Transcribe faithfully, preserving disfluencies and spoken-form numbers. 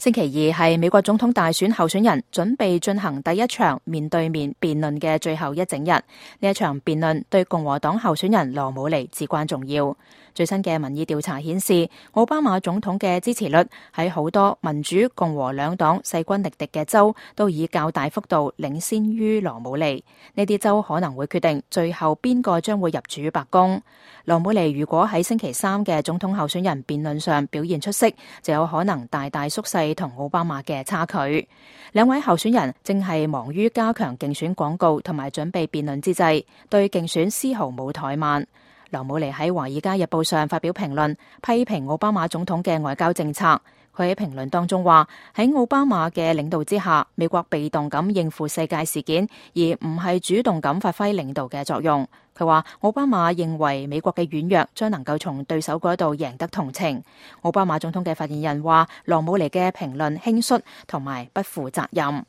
星期二係美國總統大選候選人準備進行第一場面對面辯論嘅最後一整日。呢一場辯論對共和黨候選人羅姆尼至關重要。最新嘅民意調查顯示，奧巴馬總統嘅支持率喺好多民主共和兩黨勢均力敵嘅州都以較大幅度領先於羅姆尼。呢啲州可能會決定最後邊個將會入主白宮。羅姆尼如果喺星期三嘅總統候選人辯論上表現出色，就有可能大大縮細同奧巴馬嘅差距。兩位候選人正係忙於加強競選廣告同埋準備辯論之際，對競選絲毫冇怠慢。羅姆尼喺《華爾街日報》上發表評論，批評奧巴馬總統嘅外交政策。佢喺評論當中話：喺奧巴馬嘅領導之下，美國被動咁應付世界事件，而唔係主動咁發揮領導嘅作用。佢話奧巴馬認為美國嘅軟弱將能夠從對手嗰度贏得同情。奧巴馬總統嘅發言人話：羅姆尼嘅評論輕率同埋不負責任。